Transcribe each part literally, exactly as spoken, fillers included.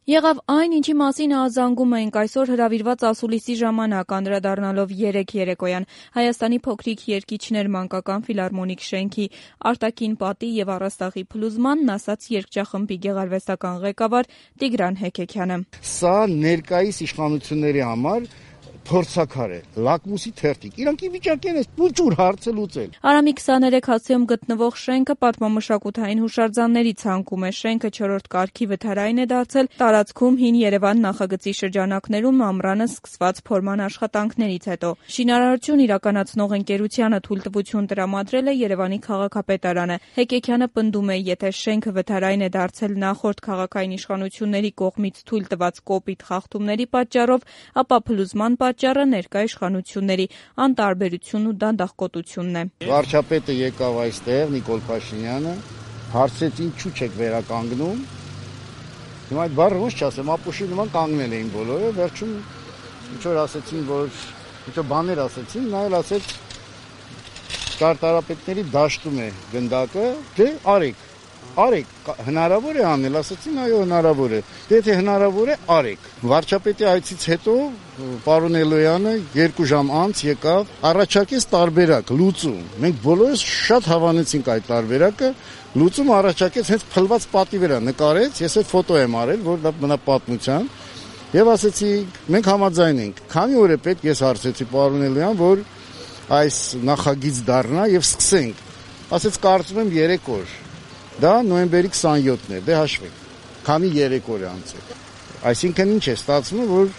Եղավ այն, ինչի մասին ազանգում էինք այսօր հրավիրված ասուլիսի ժամանակ, անդրադառնալով երեկ երեկոյան Հայաստանի փոքրիկ երգիչներ մանկական ֆիլհարմոնիկ շենքի արտաքին պատի եւ առաստաղի փլուզմանն, ասաց երգչախմբի գեղարվեստական ղեկավար Տիգրան Հեկեքյանը։ Սա ներկայիս իշխանությունների համար փորձաքար է, լակմուսի թերթիկ, իրանք ի վիճակի են ուղղուր հարցը լուծել։ Արամի քսաներեք հացիում գտնվող շենքը պատմամշակութային հուշարձանների ցանկում է, շենքը չորրորդ կարգի վթարային է դարձել, տարածքում հին Երևան նախագծի շրջանակներում ամռանը սկսված փորման աշխատանքներից հետո։ Շինարարություն իրականացնող ընկերությանը թույլտվություն տրամադրել է Երևանի քաղաքապետարանը։ Հեկեքյանը պնդում է, եթե շենքը վթարային է դարձել նախորդ քաղաքային իշխանությունների կողմից թույլ տված կոպիտ խախտումների պատճառով, ապա փլուզման պատճառը ներկա իշխանությունների անտարբերությունն ու դանդաղկոտությունն է։ Վարչապետը եկավ այստեղ, Նիկոլ Փաշինյանը, հարցրեց ինչու չեք վերականգնում։ Հիմա այդ բառը ոնց չասեմ, ապուշի նման կանգնել էին բոլորը, վերջում ինչ որ ասեցին, որ ինչ որ բաներ ասեցին, նա էլ ասեց ճարտարապետների դաշտում է գնդակը, դե արեք, արեք, հնարավոր է անել, ասեցին, այո, հնարավոր է, դե եթե հնարավոր է, արեք։ Վարչապետի այցից հետո պարոն Էլոյանը երկու ժամ անց եկավ, առաջարկեց տարբերակ, լուծում։ Մենք բոլորս շատ հավանեցինք այդ տարբերակը, լուծում առաջարկեց հենց փլված պատի վրա նկարեց, ես այդ ֆոտո եմ արել, որ դա մնա պատմության, եւ ասեցի, մենք համաձայն ենք։ Քանի օր է պետք, ես հարցրեցի պարոն Էլոյան, որ այս նախագիծ դառնա եւ սկսենք։ Ասեց, կարծում եմ երեք օր։ Դա նոյեմբերի քսանյոթն է, դե հաշվեք, քանի երեք օր է անցել։ Այսինքն ինչ է ստացվում, որ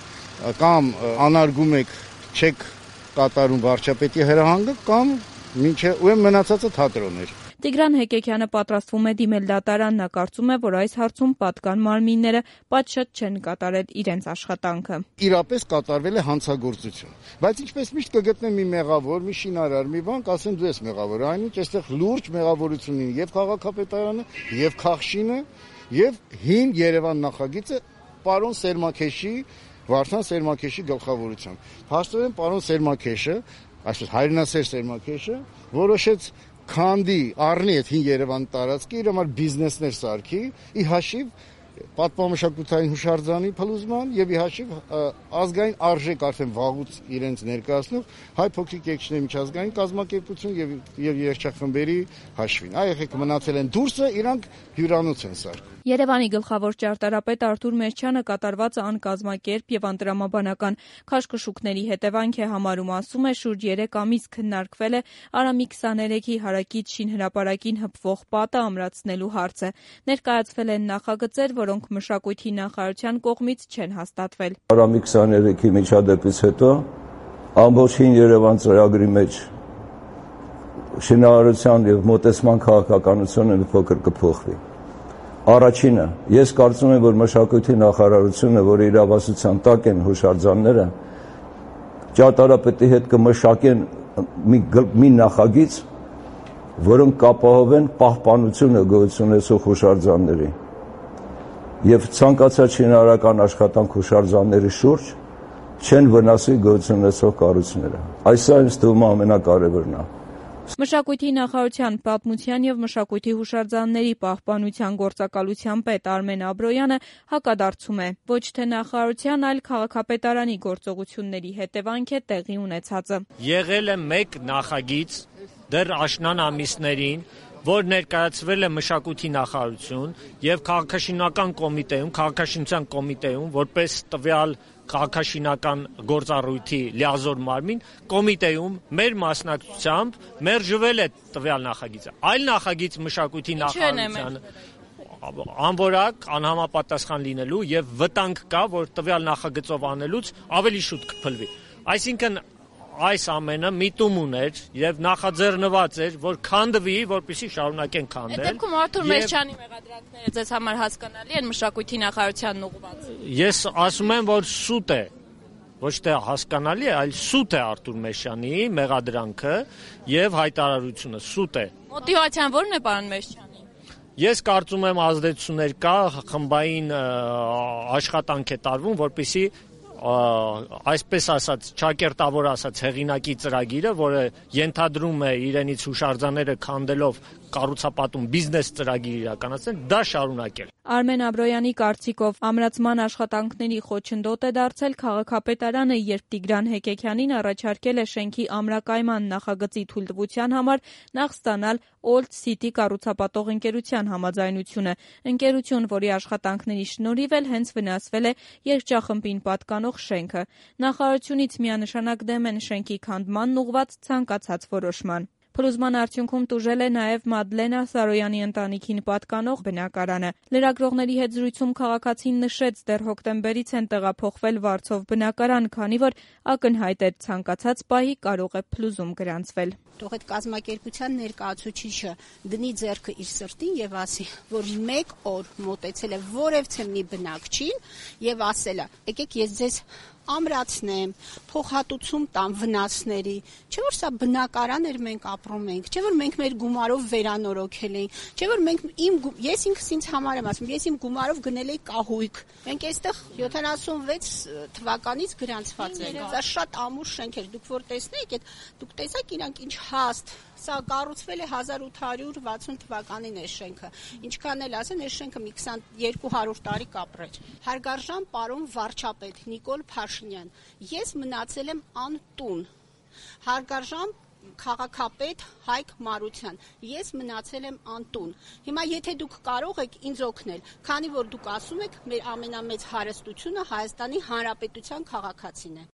կամ անարգում եք, չեք կատարում վարչապետի հրահանգը, կամ մինչև ու մնացածը թատրոն էր։ Տիգրան Հեկեքյանը պատրաստվում է դիմել դատարան, նա կարծում է, որ այս հարցում պատկան մարմինները պատշաճ չեն կատարել իրենց աշխատանքը։ Իրապես կատարվել է հանցագործություն, բայց ինչպես միշտ կգտնեմ մի մեղավոր, մի շինարար, մի բան, կասեն դու ես մեղավոր, այնինչ այստեղ լուրջ մեղավորություն ունի եւ քաղաքապետարանը, եւ Քաղշինը, եւ հին Երևան նախագիծը պարոն Սերմաքեշի, Վարդան Սերմաքեշի գլխավորությամբ։ Հաստատորեն պարոն Սերմաքեշը, այսպես հայրենասեր Սերմաքեշը, որոշեց քանդի առնի այդ հին Երևան տարածքի, իր համար բիզնեսներ սարքի, ի հաշիվ պատմամշակութային հուշարձանի փլուզման եւ ի հաշիվ ազգային արժեք արդեն վաղուց իրենց ներկայացնող հայ փոքրիկ երգիչների միջազգային կազմակերպություն եւ եւ երգչախմբերի հաշվին։ Այ եղեք մնացել են դուրսը, իրանք հյուրանոց են սարքում։ Երևանի գլխավոր ճարտարապետ Արթուր Մերչյանը կատարվածը անկազմակերպ եւ անտրամաբանական քաշքշուկների հետևանք է համարում, ասում է, շուրջ երեք ամիս քննարկվել է Արամի քսաներեքի հարակից շինհրապարակին հպվող պատը ամրացնելու հարցը։ Ներկայացվել են նախագծեր, որոնք մշակույթի նախարարության կողմից չեն հաստատվել։ Արամի քսաներեքի միջադեպից հետո ամբողջ հին Երևան ծրագրի մեջ շինարարության եւ մոտեցման քաղաքականությունը մի փոքր կփոխվի։ Առաջինը, ես կարծում եմ, որ մշակույթի նախարարությունը, որ իրավասության տակ են հուշարձանները, ճարտարապետի հետ կմշակեն մի, մի նախագիծ, որոնք կապահովեն պահպանությունը գոյություն ունեցող հուշարձանների եւ ցանկացած շինարարական աշխատանք հուշարձանների շուրջ չեն վնասի գոյություն ունեցող կառույցները։ Այսօր ինձ թվում է ամենակարևորն է։ Մշակույթի նախարարության պատմության եւ մշակույթի հուշարձանների պահպանության գործակալության պետ Արմեն Աբրոյանը հակադարձում է, ոչ թե նախարարության, այլ քաղաքապետարանի գործողությունների հետևանք է տեղի ունեցածը։ Եղել է մեկ նախագիծ դեռ աշնան ամիսներին, որ ներկայացվել է մշակույթի նախարարություն եւ քաղաքաշինական կոմիտեում, քաղաքաշինության կոմիտեում, որպես տվյալ քաղաքաշինական գործառույթի լիազոր մարմին, կոմիտեում մեր մասնակցությամբ մերժվել է տվյալ նախագիծը։ Այլ նախագիծ մշակույթի նախարարության անորակ, անհամապատասխան լինելու եւ վտանգ կա, որ տվյալ նախագծով անելուց ավելի շուտ կփլվի։ Այսինքն այս ամենը միտում ուներ եւ նախաձեռնված էր, որ քանդվի, որպեսզի շարունակեն քանդել։ Այդ դեպքում Արթուր Մերչյանի մեղադրանքները ձեզ համար հասկանալի են մշակույթի նախարարությանն ուղղված։ Ես ասում եմ, որ սուտ է, ոչ թե հասկանալի է, այլ սուտ է Արթուր Մերչյանի մեղադրանքը եւ հայտարարությունը սուտ է։ Մոտիվացիան ո՞րն է, պարոն Մերչյանի։ Ես կարծում եմ ազդեցություններ կա, խմբային աշխատանք է տարվում, որպեսզի այսպես ասած, ճակերտավոր ասած հեղինակի ծրագիրը, որը ենթադրում է իրենից հուշարձանները քանդելով կառուցապատում բիզնես ծրագիր իրականացնել, դա շարունակել։ Արմեն Աբրոյանի կարծիքով ամրացման աշխատանքների խոչընդոտ է դարձել քաղաքապետարանը, երբ Տիգրան Հեկեքյանին առաջարկել է շենքի ամրակայման նախագծի թույլտվության համար նախ ստանալ Old City կառուցապատող ընկերության համաձայնությունը, ընկերություն, որի աշխատանքների շնորհիվ էլ հենց վնասվել է երգչախմբին պատկանող շենքը։ Նախարարությունից միանշանակ դեմ են շենքի քանդմանն ուղղված ցանկացած որոշման։ Փլուզման արդյունքում տուժել է նաև Մադլենա Սարոյանի ընտանիքին պատկանող բնակարանը։ Լրագրողների հետ զրույցում քաղաքացին նշեց, դեռ հոկտեմբերից են տեղափոխվել Վարձով բնակարան, քանի որ ակնհայտ էր ցանկացած պահի կարող է փլուզում գրանցվել։ Թող այդ կազմակերպության ներկայացուցիչը դնի ձեռքը իր սրտին եւ ասի, որ մեկ օր մոտեցել է որևէ մի բնակչին եւ ասել է. «Եկեք ես ձեզ ամրացնեմ, փոխհատուցում տամ վնասների, չէ՞ որ սա բնակարան էր, մենք ապրում ենք, չէ՞ որ մենք մեր գումարով վերանորոգել ենք, չէ՞ որ մենք իմ ես ինքս ինձ համար եմ ասում, ես իմ գումարով գնել էի կահույք։ Մենք այստեղ յոթանասունվեց թվականից գրանցված ենք։ Սա շատ ամուր շենք էր, դուք որ տեսնեիք, այդ դուք տեսաք իրանք ինչ հաստ, սա կառուցվել է հազար ութ հարյուր վաթսուն թվականին է շենքը։ Ինչքան էլ ասեն, այս շենքը մի երկու հարյուր տարի կապրեց։ Հարգարժան պարոն վարչապետ Նիկոլ Փաշինյան, ես մնացել եմ անտուն։ Հարգարժան քաղաքապետ Հայկ Մարության, ես մնացել եմ անտուն։ Հիմա եթե դուք կարող եք ինձ օգնել, քանի որ դուք ասում եք, մեր ամենամեծ հարստությունը Հայաստանի Հանրապետության քաղաքացին է։